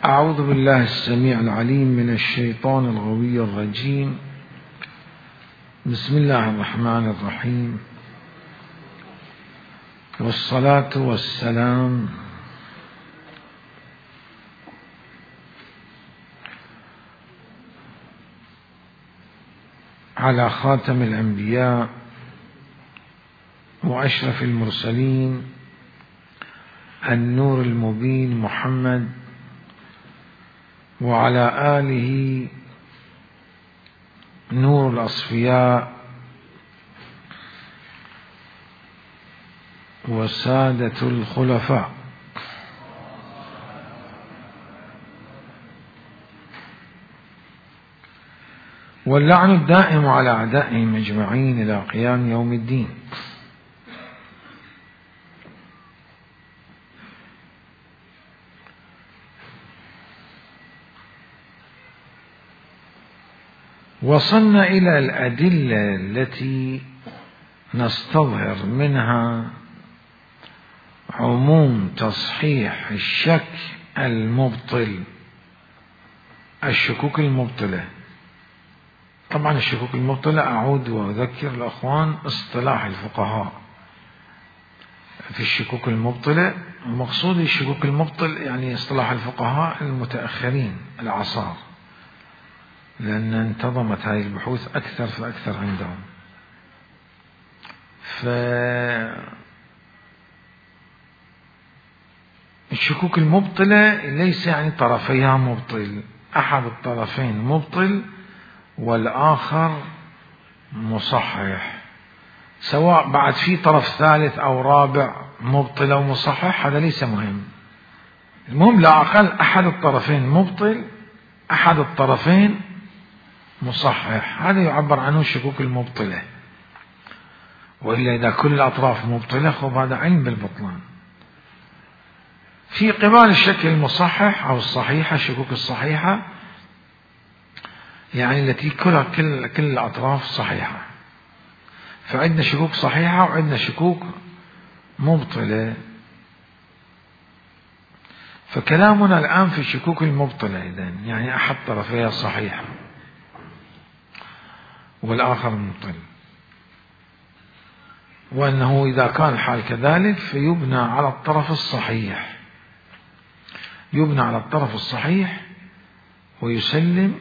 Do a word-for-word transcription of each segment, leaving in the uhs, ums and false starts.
أعوذ بالله السميع العليم من الشيطان الغوي الرجيم. بسم الله الرحمن الرحيم، والصلاة والسلام على خاتم الأنبياء وأشرف المرسلين النور المبين محمد، وعلى آله نور الأصفياء وسادة الخلفاء. واللعن الدائم على أعدائهم أجمعين إلى قيام يوم الدين. وصلنا إلى الأدلة التي نستظهر منها عموم تصحيح الشك المبطل، الشكوك المبطلة. طبعا الشكوك المبطلة أعود وأذكر الأخوان اصطلاح الفقهاء في الشكوك المبطلة. مقصود الشكوك المبطل يعني اصطلاح الفقهاء المتأخرين العصار، لأن انتظمت هذه البحوث أكثر فأكثر عندهم. فالشكوك المبطلة ليس يعني طرفيها مبطل، أحد الطرفين مبطل والآخر مصحح، سواء بعد في طرف ثالث أو رابع مبطل أو مصحح هذا ليس مهم. المهم لا أقل أحد الطرفين مبطل، أحد الطرفين مصحح، هذا يعبر عنه الشكوك المبطلة. وإلا إذا كل الأطراف مبطلة خب هذا علم بالبطلان. في قبال الشك المصحح أو الصحيحة، الشكوك الصحيحة يعني التي كل كل كل الأطراف صحيحة. فعندنا شكوك صحيحة وعندنا شكوك مبطلة. فكلامنا الآن في الشكوك المبطلة، إذن يعني أحد طرفيها صحيحة والآخر مبطل، وأنه إذا كان الحال كذلك فيبنى على الطرف الصحيح، يبنى على الطرف الصحيح ويسلم،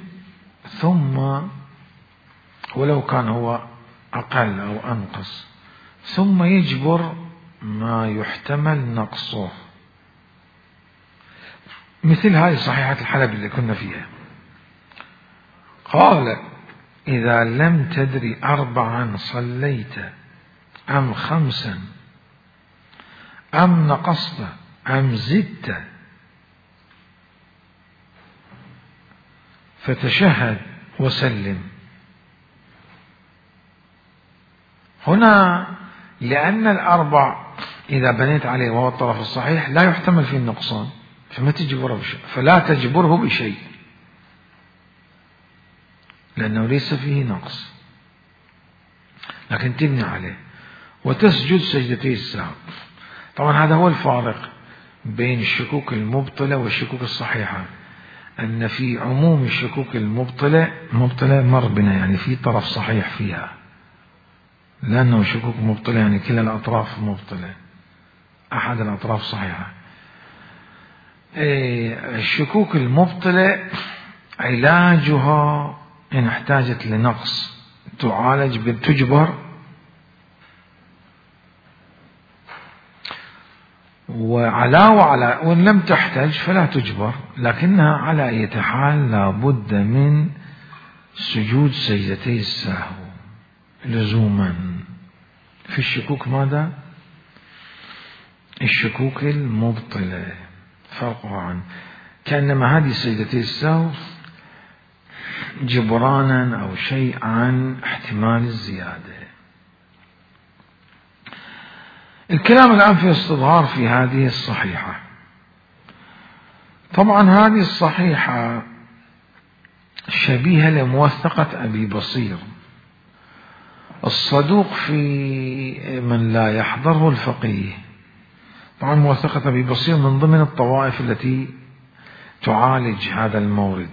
ثم ولو كان هو أقل أو أنقص ثم يجبر ما يحتمل نقصه، مثل هذه صحيحة الحلب اللي كنا فيها. قال: إذا لم تدري أربعا صليت أم خمسا أم نقصت أم زدت فتشهد وسلم. هنا لأن الأربع إذا بنيت عليه وهو الطرف الصحيح لا يحتمل فيه النقصان، فما تجبره بشيء، فلا تجبره بشيء لأنه ليس فيه نقص، لكن تبني عليه وتسجد سجدتي السهو. طبعا هذا هو الفارق بين الشكوك المبطلة والشكوك الصحيحة، أن في عموم الشكوك المبطلة مبطلة مر بنا يعني في طرف صحيح فيها، لأنه شكوك مبطلة يعني كلا الأطراف مبطلة، أحد الأطراف صحيحة. الشكوك المبطلة علاجها إن احتاجت لنقص تعالج بالتجبر، وعلى وعلى وإن لم تحتاج فلا تجبر، لكنها على أي حال لابد من سجود سجدتي السهو لزوما. في الشكوك ماذا؟ الشكوك المبطلة فرقها عن كأنما هذه سجدتي السهو جبرانا أو شيء عن احتمال الزيادة. الكلام الآن في استظهار في هذه الصحيحة. طبعا هذه الصحيحة شبيهة لموثقة أبي بصير الصدوق في من لا يحضره الفقيه. طبعا موثقة أبي بصير من ضمن الطوائف التي تعالج هذا المورد،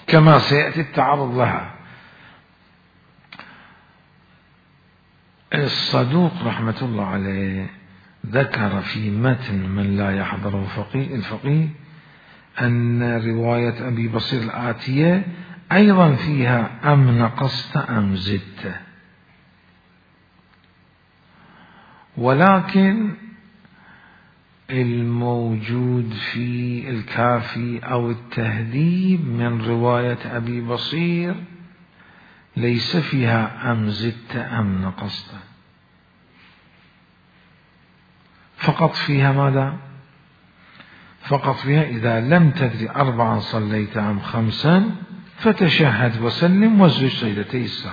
كما سيأتي التعرض لها. الصدوق رحمة الله عليه ذكر في متن من لا يحضره فقيه الفقيه أن رواية أبي بصير الآتية أيضا فيها أم نقصت أم زدت، ولكن الموجود في الكافي أو التهذيب من رواية أبي بصير ليس فيها أم زدت أم نقصت، فقط فيها ماذا؟ فقط فيها إذا لم تدري أربعا صليت أم خمسا فتشهد وسلم واسجد سجدتي السهو،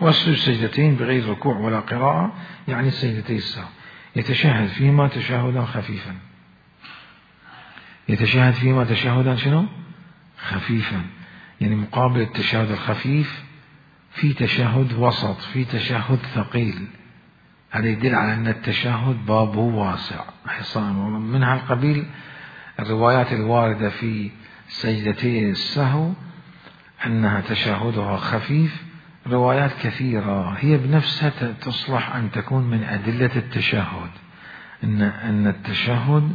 واسجد سجدتين بغير ركوع ولا قراءة، يعني سجدتي السهو. يتشهد فيما تشهدا خفيفا، يتشهد فيما تشهدا شنو؟ خفيفا، يعني مقابل التشهد الخفيف في تشهد وسط، في تشهد ثقيل. هذا يدل على أن التشهد بابه واسع. من هالقبيل الروايات الواردة في سجدتي السهو أنها تشهدها خفيف روايات كثيرة، هي بنفسها تصلح أن تكون من أدلة التشهد، أن أن التشهد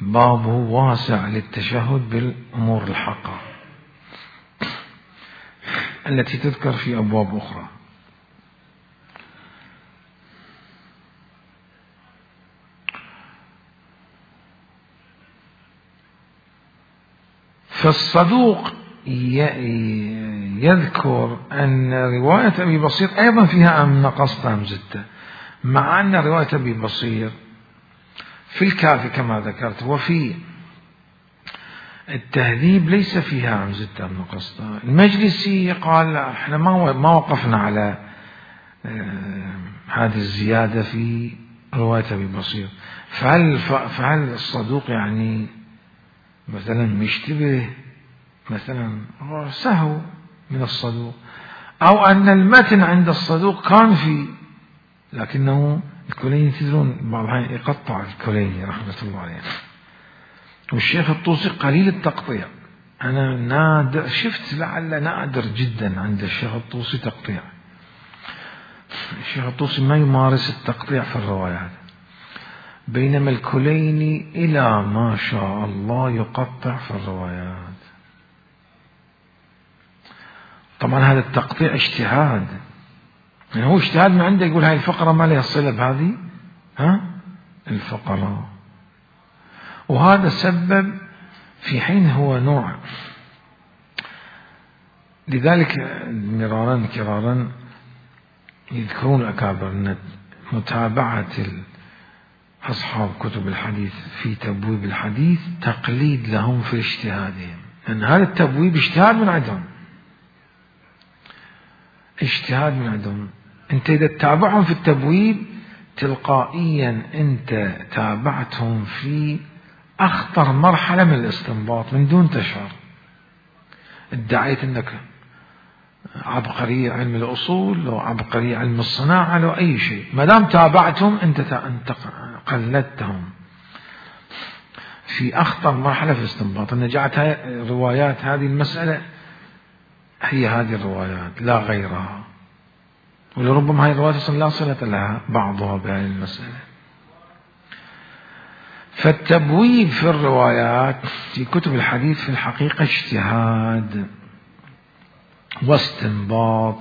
بابه واسع للتشهد بالأمور الحقة التي تذكر في أبواب أخرى. فالصدوق يذكر أن رواية أبي بصير أيضا فيها أم نقصت أم زدت، مع أن رواية أبي بصير في الكافي كما ذكرت وفي التهذيب ليس فيها أم زدت أم نقصت. المجلسي قال احنا ما ما وقفنا على هذه الزيادة في رواية أبي بصير، فهل فهل الصدوق يعني مثلا مشتبه مثلا سهو من الصدوق، أو أن المتن عند الصدوق كان في، لكنه الكليني تدرون بعض الأحيان يقطع الكليني رحمة الله عليه، والشيخ الطوسي قليل التقطيع. أنا نادر شفت لعل نادر جدا عند الشيخ الطوسي تقطيع، الشيخ الطوسي ما يمارس التقطيع في الروايات، بينما الكليني إلى ما شاء الله يقطع في الروايات. طبعا هذا التقطيع اجتهاد، يعني هو اجتهاد من عنده، يقول هاي الفقرة ما لها صلة بهذه ها الفقرة، وهذا سبب في حين هو نوع. لذلك مرارا كرارا يذكرون الأكابر أن متابعة أصحاب كتب الحديث في تبويب الحديث تقليد لهم في اجتهادهم، أن هذا التبويب اجتهاد من عندهم، اجتهاد من عندهم. أنت إذا تتابعهم في التبويب تلقائيا أنت تابعتهم في أخطر مرحلة من الاستنباط من دون تشعر. ادعيت أنك عبقري علم الأصول لو عبقري علم الصناعة لو أي شيء، ما دام تابعتهم أنت أنت قلدتهم في أخطر مرحلة في الاستنباط. أن جاءت روايات هذه المسألة هي هذه الروايات لا غيرها، ولربما هذه الروايات أصلا لا صلة لها بعضها بهذه المسألة. فالتبويب في الروايات في كتب الحديث في الحقيقة اجتهاد واستنباط،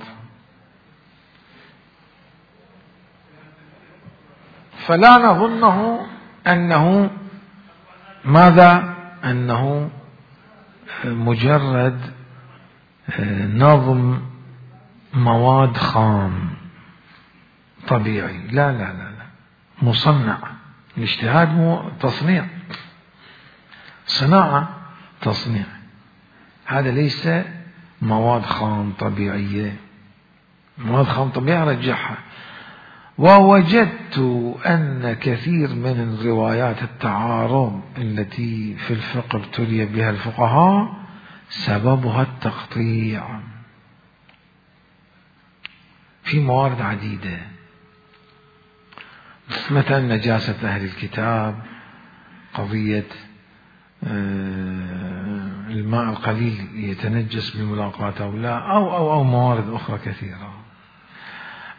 فلا نظنه أنه ماذا أنه مجرد نظم مواد خام طبيعي، لا لا لا لا، مصنع. الاجتهاد مو تصنيع، صناعة تصنيع، هذا ليس مواد خام طبيعية. مواد خام طبيعية رجعها. ووجدت أن كثير من الروايات التعارض التي في الفقه ابتلي بها الفقهاء سببها التقطيع في موارد عديدة. مثلا نجاسة أهل الكتاب، قضية الماء القليل يتنجس بالملاقاة أو لا، أو أو أو موارد أخرى كثيرة.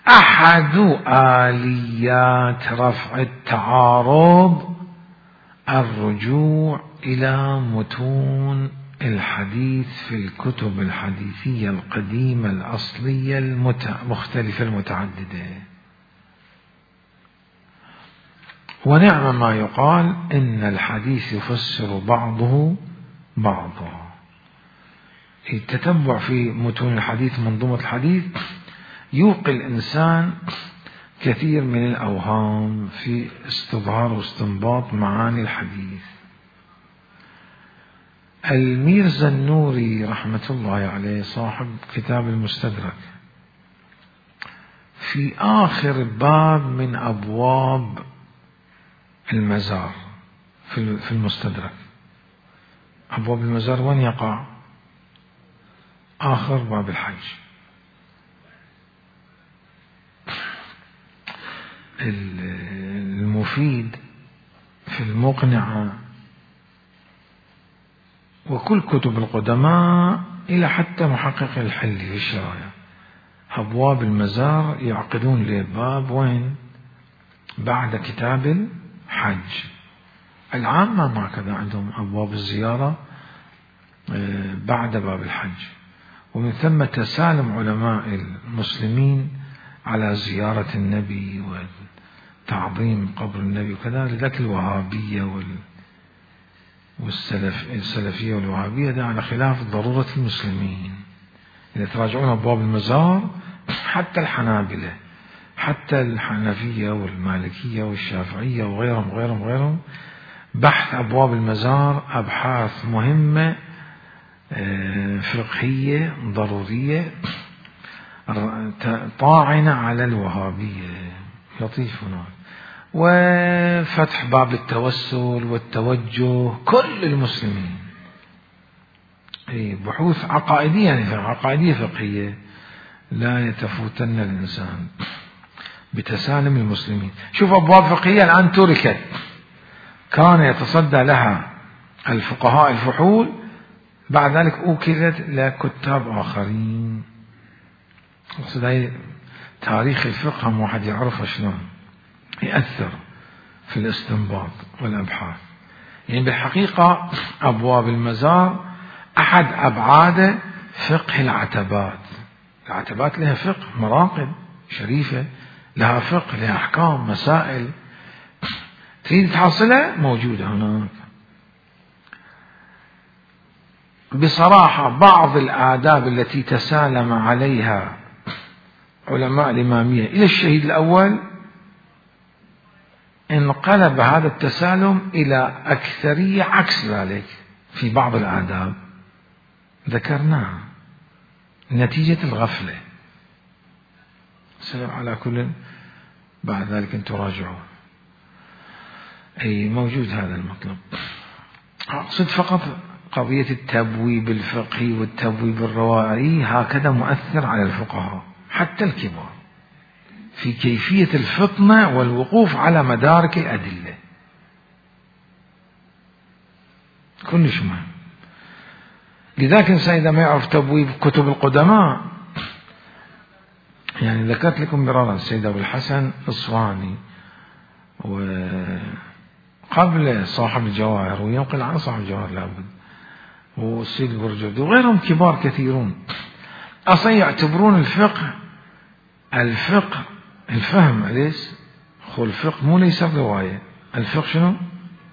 أحد آليات رفع التعارض الرجوع إلى متون الحديث في الكتب الحديثية القديمة الأصلية المختلفة المتعددة. ونعم ما يقال إن الحديث يفسر بعضه بعضا. التتبع في متون الحديث، منظومة الحديث، يوقي الإنسان كثير من الأوهام في استظهار واستنباط معاني الحديث. الميرزا النوري رحمة الله عليه صاحب كتاب المستدرك، في آخر باب من أبواب المزار في المستدرك، أبواب المزار وين يقع؟ آخر باب الحج. المفيد في المقنعة وكل كتب القدماء إلى حتى محقق الحلي في الشرايع، أبواب المزار يعقدون لباب وين؟ بعد كتاب الحج. العامة ما كذا عندهم أبواب الزيارة بعد باب الحج. ومن ثم تسالم علماء المسلمين على زيارة النبي وتعظيم قبر النبي وكذا. لذلك الوهابية وال والسلف السلفية والوهابية ده على خلاف ضرورة المسلمين. إذا تراجعون أبواب المزار، حتى الحنابلة، حتى الحنفية والمالكية والشافعية وغيرهم غيرهم غيرهم بحث أبواب المزار أبحاث مهمة فقهية ضرورية طاعنة على الوهابية، لطيف هناك. وفتح باب التوسل والتوجه كل المسلمين، بحوث عقائدية، يعني عقائدية فقهية لا يتفوتن الإنسان بتسالم المسلمين. شوف أبواب فقهية الآن تركت، كان يتصدى لها الفقهاء الفحول، بعد ذلك أوكلت لكتاب آخرين. أقصد تاريخ الفقه هم واحد يعرف شلون يأثر في الاستنباط والأبحاث. يعني بالحقيقة أبواب المزار أحد أبعاد فقه العتبات. العتبات لها فقه، مراقب شريفة لها فقه، لها أحكام، مسائل تريد تحصلها موجودة هناك. بصراحة بعض الآداب التي تسالم عليها علماء الإمامية إلى الشهيد الأول انقلب هذا التسالم إلى أكثرية عكس ذلك في بعض الآداب ذكرناها نتيجة الغفلة. سلام على كل، بعد ذلك أن تراجعوا. أي موجود هذا المطلب. أقصد فقط قضية التبويب الفقهي والتبويب الروائي هكذا مؤثر على الفقهاء حتى الكبار في كيفية الفطنة والوقوف على مدارك الأدلة. كلش مهم. لذلك الإنسان إذا ما يعرف تبويب كتب القدماء، يعني ذكرت لكم مرارا السيد أبو الحسن الصواني وقبل صاحب الجواهر وينقل عن صاحب الجواهر لابد، والسيد البرجردي وغيرهم كبار كثيرون، أصلا يعتبرون الفقه الفقه الفهم. أليس خو الفقه مو ليس الرواية، الفقه شنو؟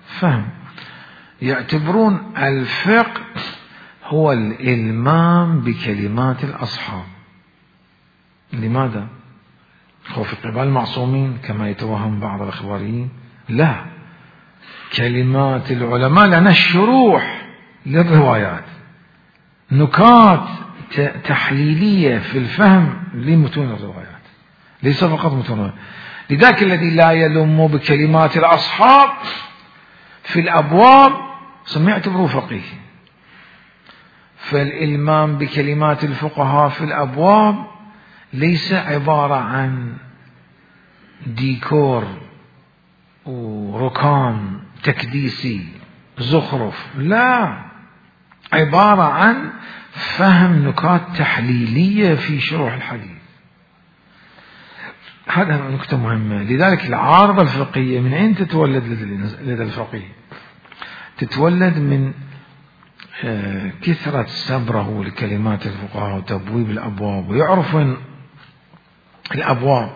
فهم. يعتبرون الفقه هو الإلمام بكلمات الأصحاب. لماذا؟ خو في قبال المعصومين كما يتوهم بعض الأخباريين، لا، كلمات العلماء لأنها الشروح للروايات، نكات تحليلية في الفهم لمتون الروايات، ليس فقط متون الروايات. لذلك الذي لا يلم بكلمات الأصحاب في الأبواب سمع يعتبره فقيه. فالإلمام بكلمات الفقهاء في الأبواب ليس عبارة عن ديكور وركام تكديسي زخرف، لا، عبارة عن فهم نكات تحليلية في شروح الحديث. هذا نكتة مهمة. لذلك العارضة الفقهية من أين تتولد لدى الفقيه؟ تتولد من كثرة سبره لكلمات الفقهاء وتبويب الأبواب، ويعرف وين الأبواب.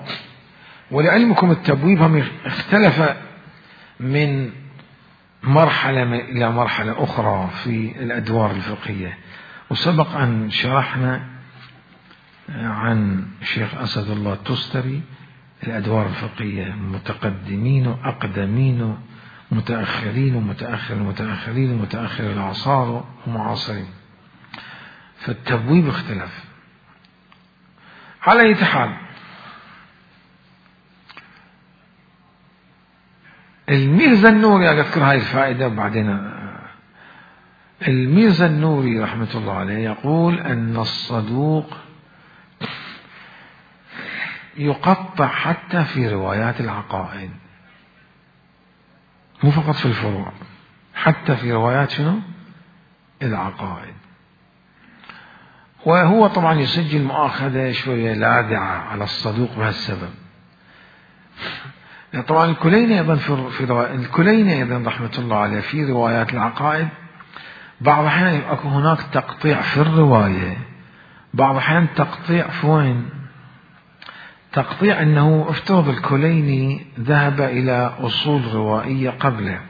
ولعلمكم التبويب هم اختلف من مرحلة إلى مرحلة أخرى في الأدوار الفقهية. وسبق أن شرحنا عن الشيخ أسد الله التستري الأدوار الفقهية، متقدمين وأقدمين، متأخرين ومتأخر المتأخرين ومتأخر الأعصار ومعاصرين. فالتبويب اختلف. على أي حال، الميرزا النوري أذكر هاي الفائدة بعدين. الميرزا النوري رحمة الله عليه يقول أن الصدوق يقطع حتى في روايات العقائد، مو فقط في الفروع، حتى في روايات شنو؟ العقائد. وهو طبعا يسجل مؤاخذة شوية لاذعة على الصدوق بهالسبب. طبعا الكليني أيضا في رواية الكليني أيضا رحمة الله عليه في روايات العقائد بعض الأحيان يكون هناك تقطيع في الرواية، بعض الأحيان تقطيع في وين؟ تقطيع أنه افترض الكليني ذهب إلى أصول روائية قبله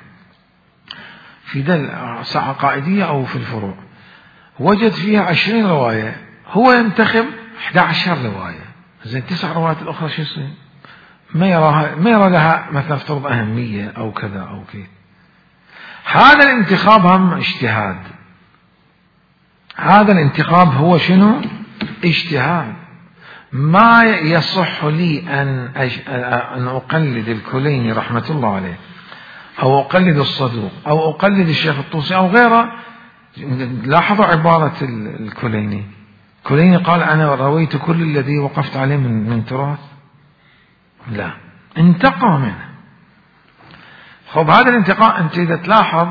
في دل عقائدية أو في الفروع، وجد فيها عشرين رواية، هو ينتخب إحدى عشرة رواية، زين تسع روايات الأخرى شو يصير؟ ما يراها ما يرى لها مثلا افترض أهمية أو كذا أو كذا. هذا الانتخاب هم اجتهاد. هذا الانتخاب هو شنو؟ اجتهاد. ما يصح لي أن أن أقلد الكليني رحمة الله عليه، أو أقلد الصدوق، أو أقلد الشيخ الطوسي أو غيره. لاحظوا عبارة الكليني. الكليني قال أنا رويت كل الذي وقفت عليه من من تراث، لا، انتقى منه. خب هذا الانتقاء أنت إذا تلاحظ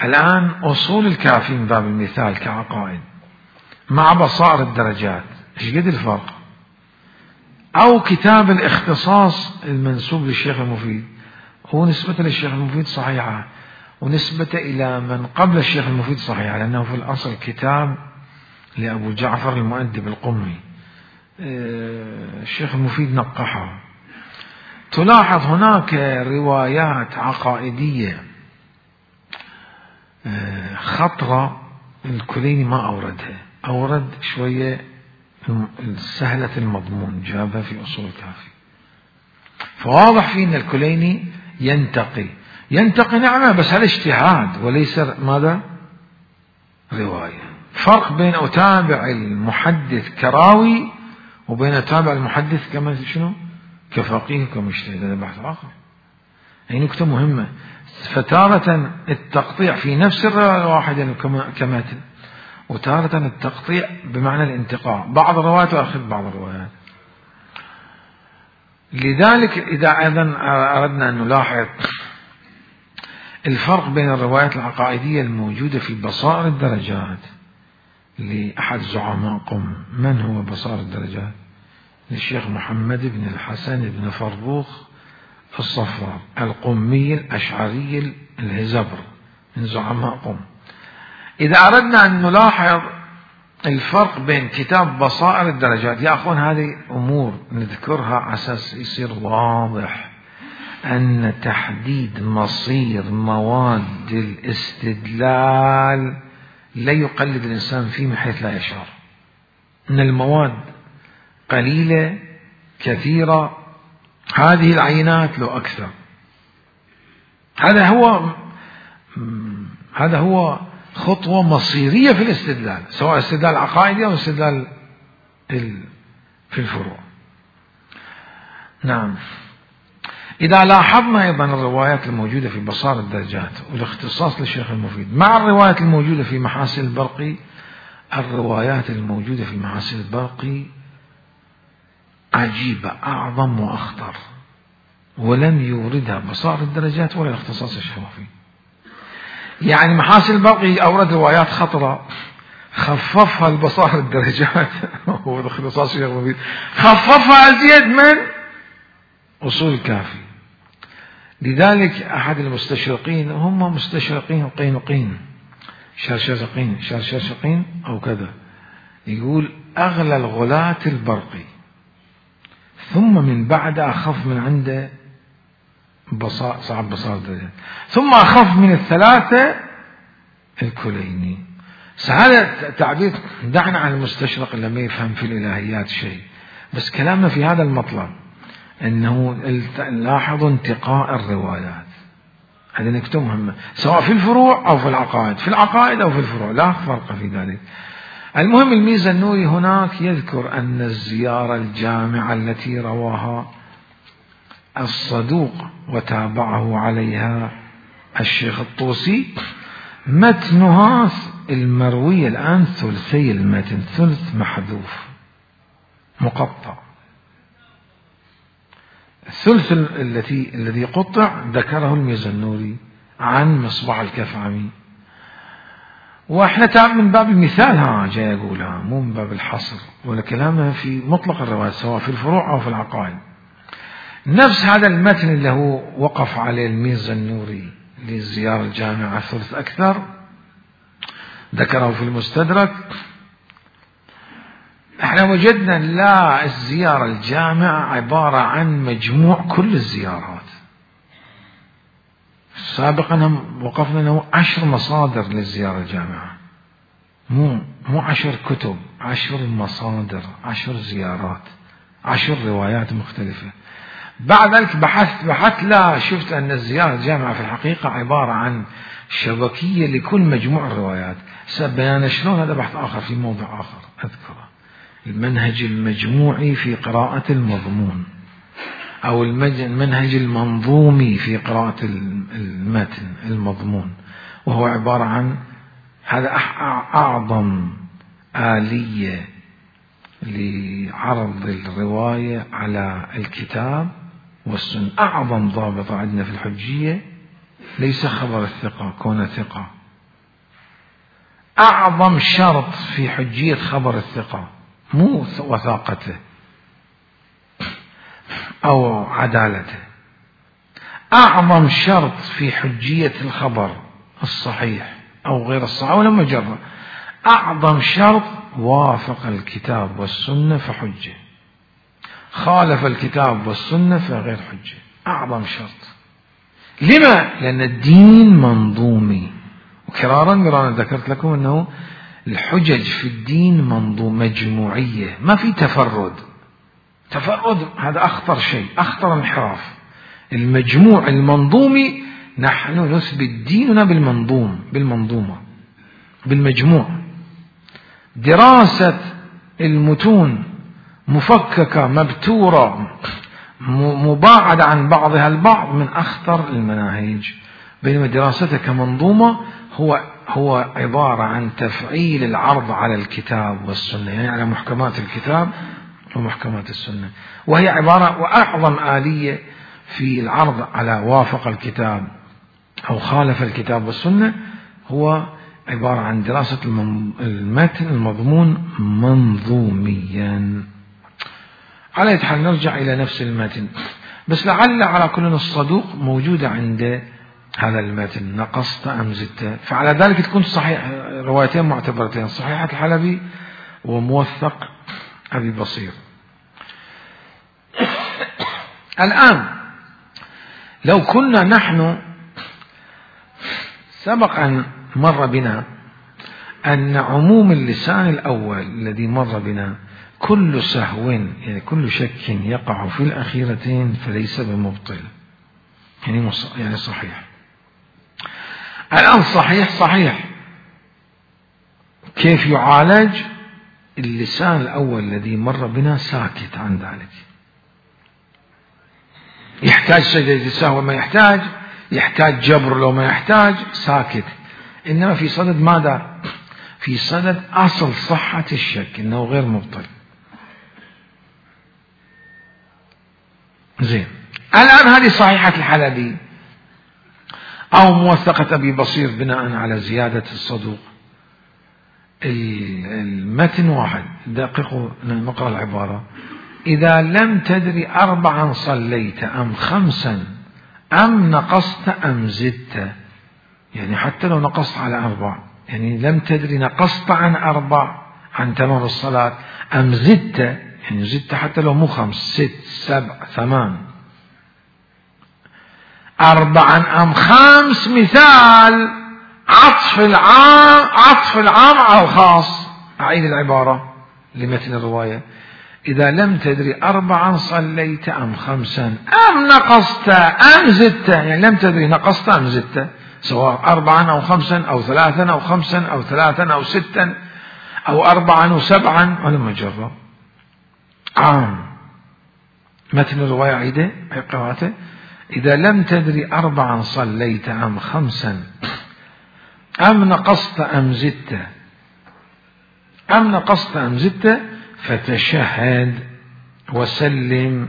الآن أصول الكافي من باب المثال كعقائد مع بصائر الدرجات، ايش قد الفرق؟ أو كتاب الاختصاص المنسوب للشيخ المفيد، هو نسبة للشيخ المفيد صحيحة، ونسبة إلى من قبل الشيخ المفيد صحيحة، لأنه في الأصل كتاب لأبو جعفر المؤدب القمي، الشيخ المفيد نقحه. تلاحظ هناك روايات عقائدية خطرة الكليني ما أوردها، أورد شوية سهلة المضمون جابها في أصول الكافي. فواضح فيه أن الكليني ينتقي ينتقي نعمة، بس هذا اجتهاد وليس ماذا؟ رواية. فرق بين أتابع المحدث كراوي وبين أتابع المحدث كما شنو؟ كفقيه كمجتهد. هذا بحث آخر. هي نكتة مهمة. فتارة التقطيع في نفس الرواية الواحدة كماتن، وتارة التقطيع بمعنى الانتقاء، بعض الروايات وأخذ بعض الروايات. لذلك إذا أيضا أردنا أن نلاحظ الفرق بين الروايات العقائدية الموجودة في بصائر الدرجات لأحد زعماء قم. من هو بصائر الدرجات؟ للشيخ محمد بن الحسن بن فروخ الصفار القمي الأشعري الهزبر من زعماء قم. إذا أردنا أن نلاحظ الفرق بين كتاب بصائر الدرجات، يا أخوان هذه أمور نذكرها على أساس يصير واضح أن تحديد مصير مواد الاستدلال لا يقلد الإنسان فيه من حيث لا يشعر. أن المواد قليلة كثيرة، هذه العينات لو أكثر. هذا هو هذا هو خطوة مصيرية في الاستدلال، سواء استدلال عقائدي أو استدلال في الفروع. نعم. إذا لاحظنا أيضا الروايات الموجودة في بصائر الدرجات والاختصاص للشيخ المفيد مع الروايات الموجودة في محاسن البرقي، الروايات الموجودة في محاسن البرقي عجيبة، أعظم وأخطر. ولم يوردها بصائر الدرجات ولا الاختصاص الشرفي. يعني محاسن البرقي أورد روايات خطرة خففها البصائر الدرجات هو الاختصاص الشرفي خففها أزيد من أصول الكافي. لذلك أحد المستشرقين، هم مستشرقين قينقين شرشرقين شرشرقين أو كذا، يقول أغلى الغلاة البرقي، ثم من بعد أخف من عنده بصائر صعب بصائر الدرجات، ثم أخف من الثلاثة الكليني. هذا تعبير، دعنا عن المستشرق اللي ما يفهم في الإلهيات شيء، بس كلامنا في هذا المطلب أنه لاحظوا انتقاء الروايات، هذه نكتة مهمة سواء في الفروع أو في العقائد، في العقائد أو في الفروع لا فرق في ذلك. المهم الميزة النوري هناك يذكر أن الزيارة الجامعة التي رواها الصدوق وتابعه عليها الشيخ الطوسي متنها المروي الآن ثلثي المتن، ثلث محذوف مقطع، الثلث التي الذي قطع ذكره الميزنوري عن مصباح الكفعمي، واحنا من باب المثال ها جاي اقولها مو من باب الحصر ولا كلامها في مطلق الرواية سواء في الفروع او في العقائد. نفس هذا المتن اللي هو وقف عليه الميزنوري للزيارة الجامعة ثلث اكثر ذكره في المستدرك. احنا وجدنا لا، الزيارة الجامعة عبارة عن مجموع كل الزيارات. سابقا وقفنا انه عشر مصادر للزيارة الجامعة، مو مو عشر كتب، عشر مصادر، عشر زيارات، عشر روايات مختلفة. بعد ذلك بحثت بحثت لا، شفت ان الزيارة الجامعة في الحقيقة عبارة عن شبكية لكل مجموع الروايات. سبيان شلون هذا بحث آخر في موضع آخر أذكره، المنهج المجموعي في قراءة المضمون أو المنهج المنظومي في قراءة المتن المضمون، وهو عبارة عن هذا أعظم آلية لعرض الرواية على الكتاب والسنة. أعظم ضابط عندنا في الحجية ليس خبر الثقة كون ثقة، أعظم شرط في حجية خبر الثقة مو وثاقته أو عدالته، أعظم شرط في حجية الخبر الصحيح أو غير الصحيح أو لما جرى، أعظم شرط وافق الكتاب والسنة فحجة، خالف الكتاب والسنة فغير حجة، أعظم شرط. لما؟ لأن الدين منظومي، وكرارا مرارا ذكرت لكم أنه الحجج في الدين منظوم مجموعية، ما في تفرد. تفرد هذا أخطر شيء، أخطر انحراف. المجموع المنظومي، نحن نثبت ديننا بالمنظوم، بالمنظومة، بالمجموع. دراسة المتون مفككة مبتورة مباعدة عن بعضها البعض من أخطر المناهج، بينما دراستها كمنظومة هو هو عبارة عن تفعيل العرض على الكتاب والسنة، يعني على محكمات الكتاب ومحكمات السنة، وهي عبارة وأعظم آلية في العرض على وافق الكتاب أو خالف الكتاب والسنة هو عبارة عن دراسة المتن المضمون منظوميا. على حال نرجع إلى نفس المتن، بس لعل على كل الصدوق موجودة عند هذا المتن، نقصت أم زدت، فعلى ذلك تكون صحيح روايتين معتبرتين، صحيحة الحلبي وموثق أبي بصير. الآن لو كنا نحن سبق أن مر بنا أن عموم اللسان الأول الذي مر بنا كل سهو يعني كل شك يقع في الأخيرتين فليس بمبطل، يعني يعني صحيح. الآن صحيح صحيح كيف يعالج؟ اللسان الأول الذي مر بنا ساكت عن ذلك، يحتاج سجدة السهو ما يحتاج، يحتاج جبر لو ما يحتاج، ساكت. إنما في صدد ماذا؟ في صدد أصل صحة الشك إنه غير مبطل. زين، الآن هذه صحيحة الحلبي أو موثقة أبي بصير بناء على زيادة الصدوق. المتن واحد، دققوا نقرأ العبارة: إذا لم تدري أربعا صليت أم خمسا أم نقصت أم زدت، يعني حتى لو نقصت على أربع، يعني لم تدري نقصت عن أربع عن تمام الصلاة أم زدت، يعني زدت حتى لو مو خمس، ست، سبع، ثمان، أربعا أم خمس، مثال عطف العام عطف العام على الخاص. أعيد العبارة لمثل الرواية: إذا لم تدري أربعا صليت أم خمسا أم نقصت أم زدت، يعني لم تدري نقصت أم زدت، سواء أربعا أو خمسا أو ثلاثا أو خمسا أو ثلاثا أو ستا أو أربعا وسبعا، ولا مجرد عام. مثل الرواية عيدة قراءته: إذا لم تدري أربعا صليت أم خمسا أم نقصت أم زدت أم نقصت أم زدت فتشهد وسلم.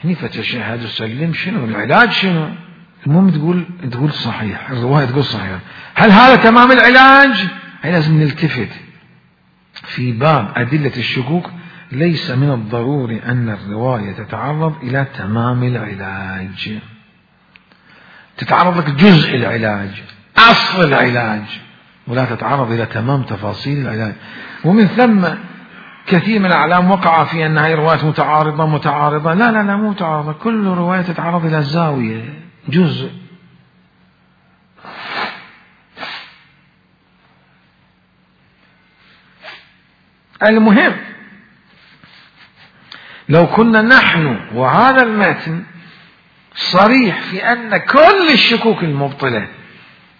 هني فتشهد وسلم شنو العلاج؟ شنو المهم تقول تقول صحيح، الرواية تقول صحيح. هل هذا تمام العلاج؟ هي لازم نلتفت في باب أدلة الشكوك. ليس من الضروري أن الرواية تتعرض إلى تمام العلاج، تتعرض لك جزء العلاج، أصل العلاج، ولا تتعرض إلى تمام تفاصيل العلاج. ومن ثم كثير من الأعلام وقع في أن هذه روايات متعارضة متعارضة لا لا لا مو متعارضة، كل رواية تتعرض إلى زاوية، جزء. المهم لو كنا نحن وهذا المتن صريح في أن كل الشكوك المبطلة،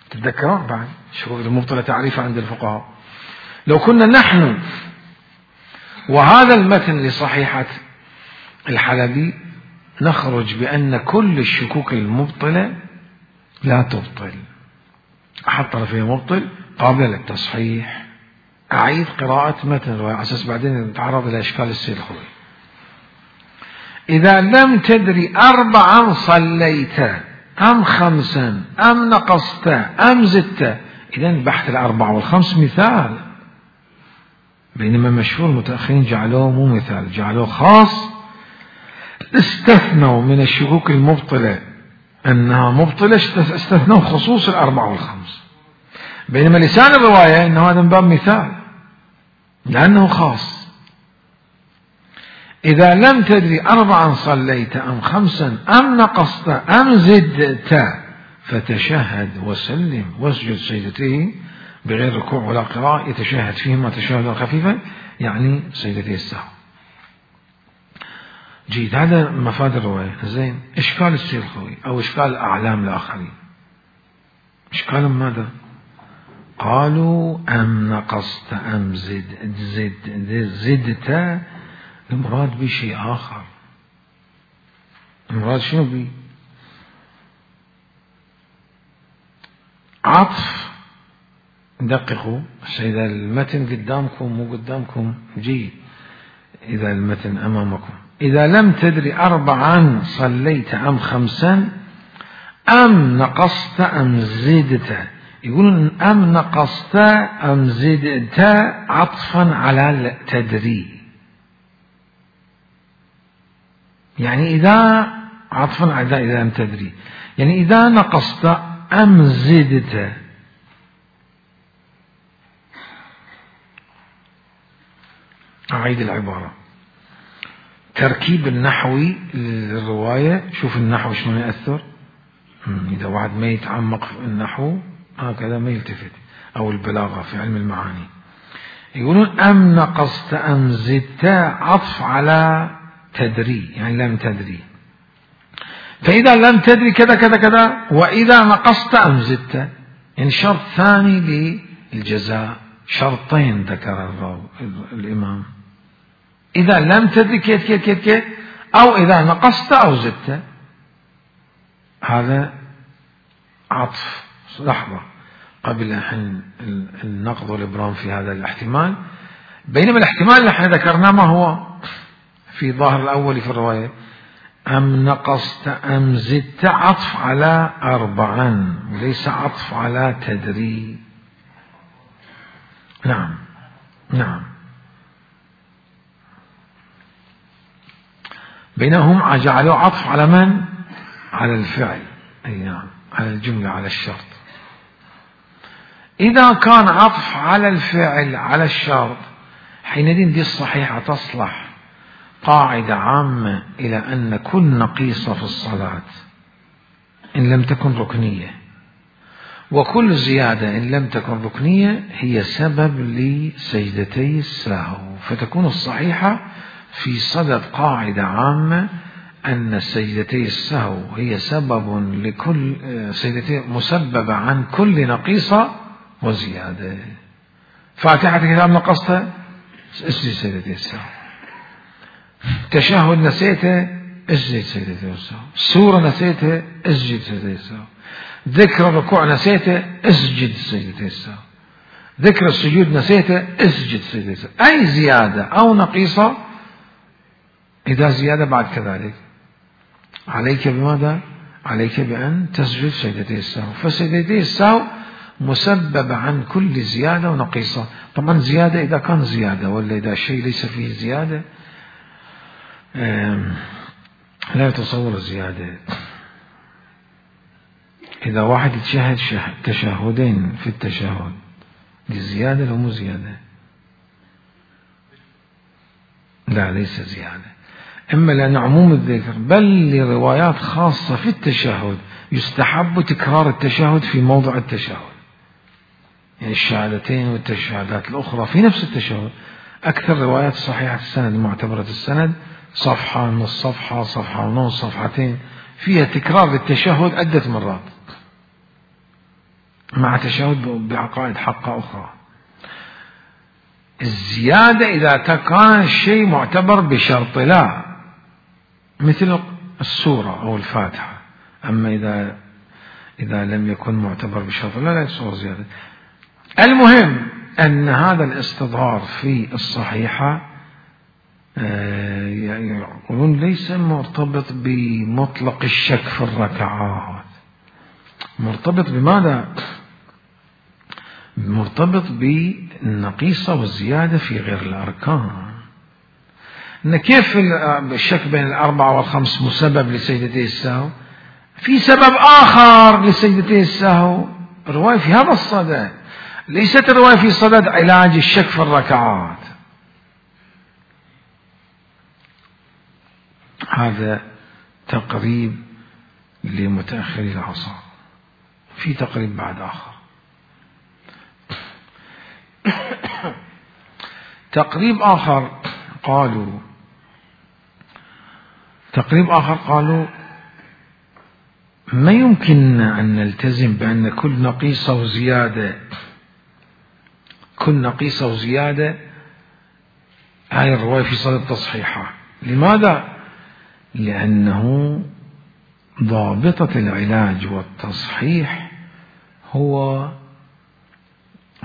تتذكرون بعد الشكوك المبطلة تعريفها عند الفقهاء، لو كنا نحن وهذا المتن لصحيحة الحلبي نخرج بأن كل الشكوك المبطلة لا تبطل، أحد طرفين مبطل قابل للتصحيح. أعيد قراءة متن الرواية على أساس بعدين نتعرض إلى إشكال السيد الخوي. إذا لم تدري أربعا صليت أم خمسا أم نقصت أم زدت، إذن بحث الأربع والخمس مثال، بينما مشهور المتأخرين جعلوه مو مثال، جعلوه خاص، استثنوا من الشكوك المبطلة أنها مبطلة، استثنوا خصوص الأربع والخمس، بينما لسان الرواية أنه هذا من باب مثال لأنه خاص. إذا لم تدري أربعا صليت أم خمسا أم نقصت أم زدت فتشهد وسلم واسجد سجدتين بغير ركوع ولا قراءة، يتشهد فيهما تشهدا خفيفا، يعني سجدتي السهو. جيد، هذا مفاد الرواية. زين، إشكال السير الخوي أو إشكال الأعلام الآخرين، إشكال ماذا؟ قالوا أم نقصت أم زد زد زدت، المراد بشيء آخر. المراد شنو بي؟ عطف. دققوا، إذا المتن قدامكم مو قدامكم جيد، إذا المتن أمامكم. إذا لم تدري أربعا صليت أم خمسا أم نقصت أم زدت، يقولون أم نقصت أم زدت عطفا على تدري، يعني إذا عطفا على إذا لم تدري، يعني إذا نقصت أم زدت. أعيد العبارة، تركيب النحوي للرواية. شوف النحو شلون يأثر، إذا واحد ما يتعمق في النحو هكذا ما يلتفت، أو البلاغة في علم المعاني. يقولون أم نقصت أم زدت عطف على تدري، يعني لم تدري. فإذا لم تدري كذا كذا كذا، وإذا نقصت أم زدت، يعني شرط ثاني للجزاء، شرطين ذكر الإمام، إذا لم تدري كيف كيف كيف كيف، أو إذا نقصت أو زدت. هذا عطف. لحظة قبل أن النقض والإبرام في هذا الاحتمال، بينما الاحتمال اللي احنا ذكرناه ما هو في ظاهر الأول في الرواية، أم نقصت أم زدت عطف على أربعا وليس عطف على تدري. نعم نعم. بينهم جعلوا عطف على من؟ على الفعل. أي نعم، على الجملة، على الشرط. إذا كان عطف على الفعل على الشرط حينئذ دي الصحيحة تصلح قاعدة عامة إلى أن كل نقيصة في الصلاة إن لم تكن ركنية وكل زيادة إن لم تكن ركنية هي سبب لسجدتي السهو، فتكون الصحيحة في صدد قاعدة عامة أن سجدتي السهو هي سبب لكل سجدتي مسببة عن كل نقيصة وزيادة. فاتحة الكتاب نقصتها اسجد سجدتي السهو، تشهد نسيته اسجد سجدتي السهو، سورة نسيته اسجد سجدتي السهو، ذكر الركوع نسيته اسجد سجدتي السهو، ذكر السجود نسيته اسجد سجدتي السهو. أي زيادة أو نقيصة إذا زيادة بعد كذلك عليك بماذا؟ عليك بأن تسجد سجدتي السهو، فسجدتي السهو مسبب عن كل زيادة ونقيصة. طبعا زيادة إذا كان زيادة، ولا إذا شيء ليس فيه زيادة لا يتصور الزيادة. إذا واحد يتشهد تشهدين في التشهد دي زيادة لو مو زيادة؟ لا ليس زيادة، إما لأن عموم الذكر بل لروايات خاصة في التشهد يستحب تكرار التشهد في موضع التشهد، يعني الشهادتين والتشهدات الأخرى في نفس التشهد. أكثر روايات صحيحة السند معتبرة السند صفحة، نص صفحة، صفحة ونص، صفحتين، فيها تكرار للتشهد عدة مرات مع تشهد بعقائد حقة أخرى. الزيادة إذا كان الشيء معتبر بشرط لا، مثل السورة أو الفاتحة. أما إذا إذا لم يكن معتبر بشرط لا لا يصور زيادة. المهم أن هذا الاستظهار في الصحيحة يقولون ليس مرتبط بمطلق الشك في الركعات، مرتبط بماذا؟ مرتبط بالنقيصة والزيادة في غير الأركان. إن كيف الشك بين الأربعة والخمس مسبب لسجدتي السهو؟ في سبب آخر لسجدتي السهو، رواية في هذا الصدد، ليست الرواية في صدد علاج الشك في الركعات. هذا تقريب لمتأخري العصر، في تقريب بعد آخر. تقريب آخر قالوا تقريب آخر قالوا ما يمكن أن نلتزم بأن كل نقيصة وزيادة كل نقيصة وزيادة هاي الرواية في صدد تصحيحها. لماذا؟ لأنه ضابطة العلاج والتصحيح هو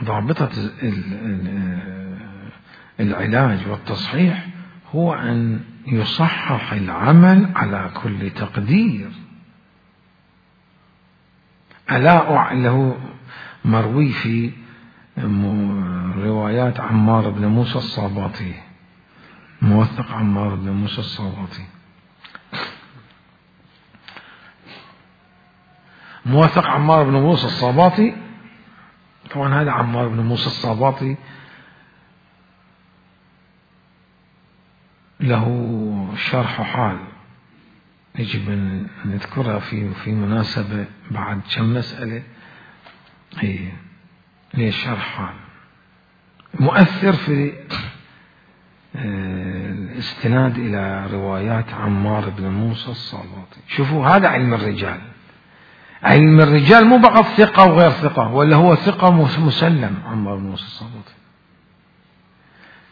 ضابطة العلاج والتصحيح هو أن يصحح العمل على كل تقدير. ألا له مروي في روايات عمار بن موسى الصاباطي، موثق عمار بن موسى الصاباطي، موثق عمار بن موسى الصاباطي. طبعا هذا عمار بن موسى الصاباطي له شرح حال يجب أن نذكرها في في مناسبة بعد كم مسألة. هي هي شرح حال مؤثر في الاستناد إلى روايات عمار بن موسى الصاباطي. شوفوا هذا علم الرجال. علم الرجال مو فقط ثقة وغير ثقة، ولا هو ثقة مسلم عمار بن موسى الصاباطي،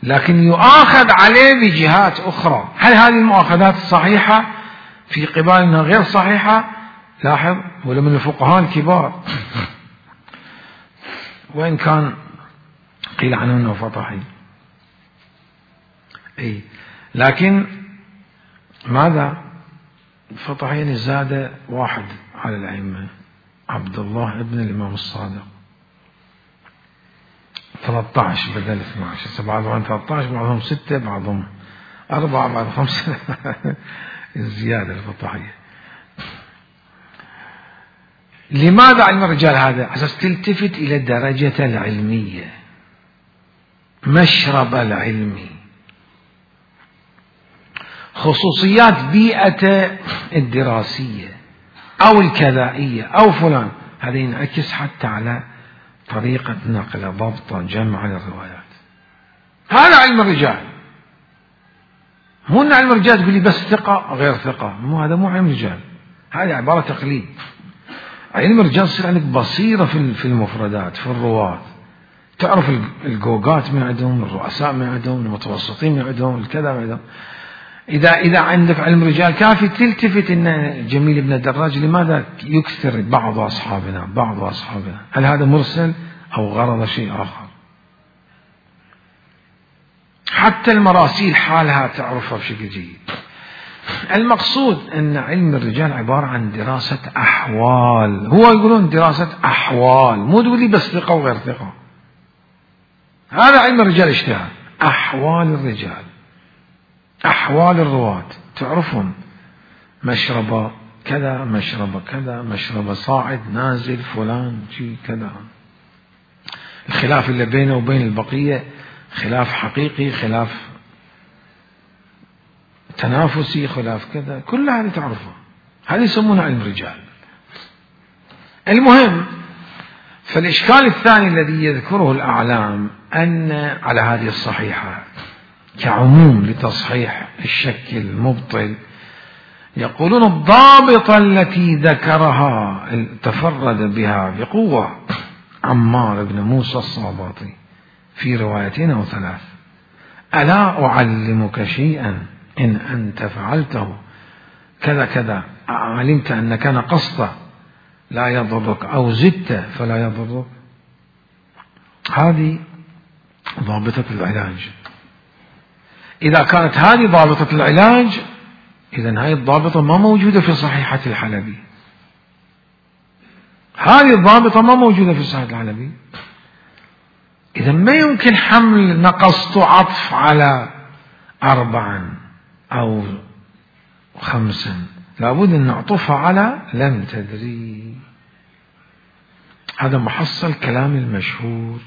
لكن يؤاخذ عليه بجهات أخرى. هل هذه المؤاخذات صحيحة في قبال أنها غير صحيحة؟ لاحظ، ولا من الفقهاء الكبار وإن كان قيل عنه أنه فطحي. أي لكن ماذا؟ الفطحيين زاد واحد على الأئمة، عبد الله ابن الإمام الصادق، ثلاثة عشر بدل اثني عشر، بعضهم ثلاثة عشر، بعضهم ستة، بعضهم أربعة، بعضهم خمسة. الزيادة الفطحية. لماذا علم الرجال هذا؟ عشان تلتفت إلى الدرجة العلمية، مشرب العلمي، خصوصيات بيئة الدراسية أو الكذائية أو فلان، هذا ينعكس حتى على طريقة نقل، ضبط، جمع للروايات. هذا علم الرجال. مو أن علم الرجال تقول لي بس ثقة غير ثقة، مو هذا مو علم الرجال، هذه عبارة تقليد. علم الرجال يصير عندك بصيرة في المفردات، في الرواة، تعرف الجوجات من عندهم، الرؤساء من عندهم، المتوسطين من عندهم، الكذا من عندهم. إذا إذا عندك علم رجال كافي تلتفت إن جميل بن الدراج لماذا يكثر بعض أصحابنا بعض أصحابنا، هل هذا مرسل أو غرض شيء آخر؟ حتى المراسيل حالها تعرفها بشكل جيد. المقصود أن علم الرجال عبارة عن دراسة أحوال، هو يقولون دراسة أحوال، مو تقول لي بس ثقة وغير ثقة. هذا علم الرجال اجتهاد، أحوال الرجال، أحوال الرواة، تعرفون مشربة كذا، مشربة كذا، مشربة صاعد نازل فلان شيء كذا. الخلاف اللي بينه وبين البقية خلاف حقيقي، خلاف تنافسي، خلاف كذا، كل هذه تعرفها، هذه يسمونها علم الرجال. المهم، فالإشكال الثاني الذي يذكره الأعلام أن على هذه الصحيحة كعموم لتصحيح الشك المبطل، يقولون الضابطة التي ذكرها تفرد بها بقوة عمار بن موسى الصابطي في روايتين أو ثلاث: ألا أعلمك شيئا إن أنت فعلته كذا كذا علمت أن كان قصده لا يضرك، أو زدت فلا يضرك. هذه ضابطة العلاج. إذا كانت هذه ضابطة العلاج، إذن هذه الضابطة ما موجودة في صحيحة الحلبي. هذه الضابطة ما موجودة في صحيحة الحلبي. إذا ما يمكن حمل نقصت عطف على أربعا أو خمسا، لابد أن نعطفها على لم تدري. هذا محصل كلام المشهور،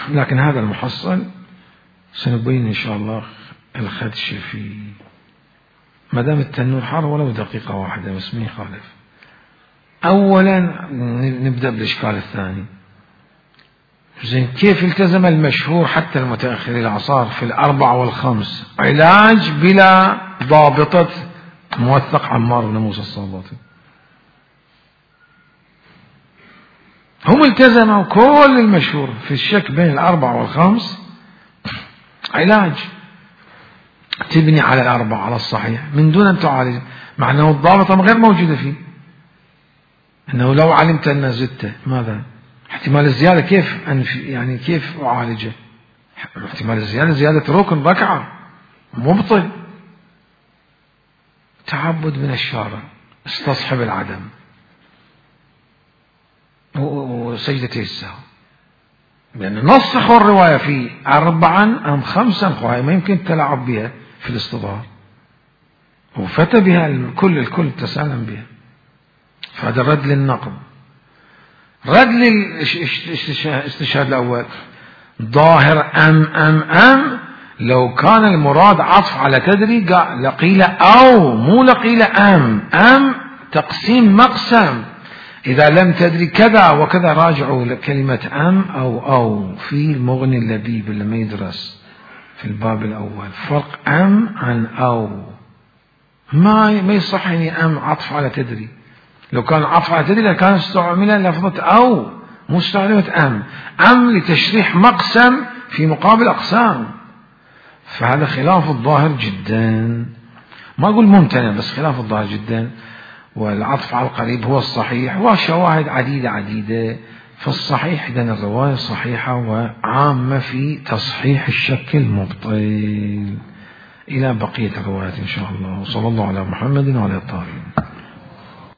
لكن هذا المحصل سنبين إن شاء الله الخدش فيه، ما دام التنور حار ولو دقيقة واحدة بس ما يخالف. أولا نبدأ بالإشكال الثاني. زين، كيف التزم المشهور حتى المتأخرين الأعصار في الأربع والخمس علاج بلا ضابطة موثق عمار بن موسى الصابطي؟ هم التزموا كل المشهور في الشك بين الأربع والخمس علاج تبني على الأربع على الصحيح من دون أن تعالج، مع أنه الضابطة غير موجودة فيه. أنه لو علمت أن زدت ماذا؟ احتمال الزيادة كيف أنف يعني كيف أعالجه؟ احتمال الزيادة زيادة ركن ركعة مبطل. تعبد من الشارع، استصحب العدم وسجدتي السهو، لأن نصحوا الرواية في أربعا أم خمسا، وهي ما يمكن تلعب بها في الاستظهار، وفتى بها الكل الكل تسالم بها. فهذا رد للنقد. رد للاستشهاد الأول ظاهر أم أم أم، لو كان المراد عطف على تدري لقيل أو، مو لقيل أم. أم تقسيم مقسم، إذا لم تدري كذا وكذا راجعوا كلمة أم أو أو في المغني اللبيب اللي ما يدرس في الباب الأول، فرق أم عن أو. ما ما يصح يعني أم عطف على تدري، لو كان عطف على تدري لكان استعمل لفظة أو مو استعملت أم. أم لتشريح مقسم في مقابل أقسام، فهذا خلاف الظاهر جدا، ما أقول ممتنع بس خلاف الظاهر جدا. والعطف على القريب هو الصحيح، وشواهد عديدة عديدة فالصحيح إذن الرواية صحيحة وعامة في تصحيح الشك المبطل. إلى بقية الروايات إن شاء الله. وصلى الله على محمد وعلى الطاهرين.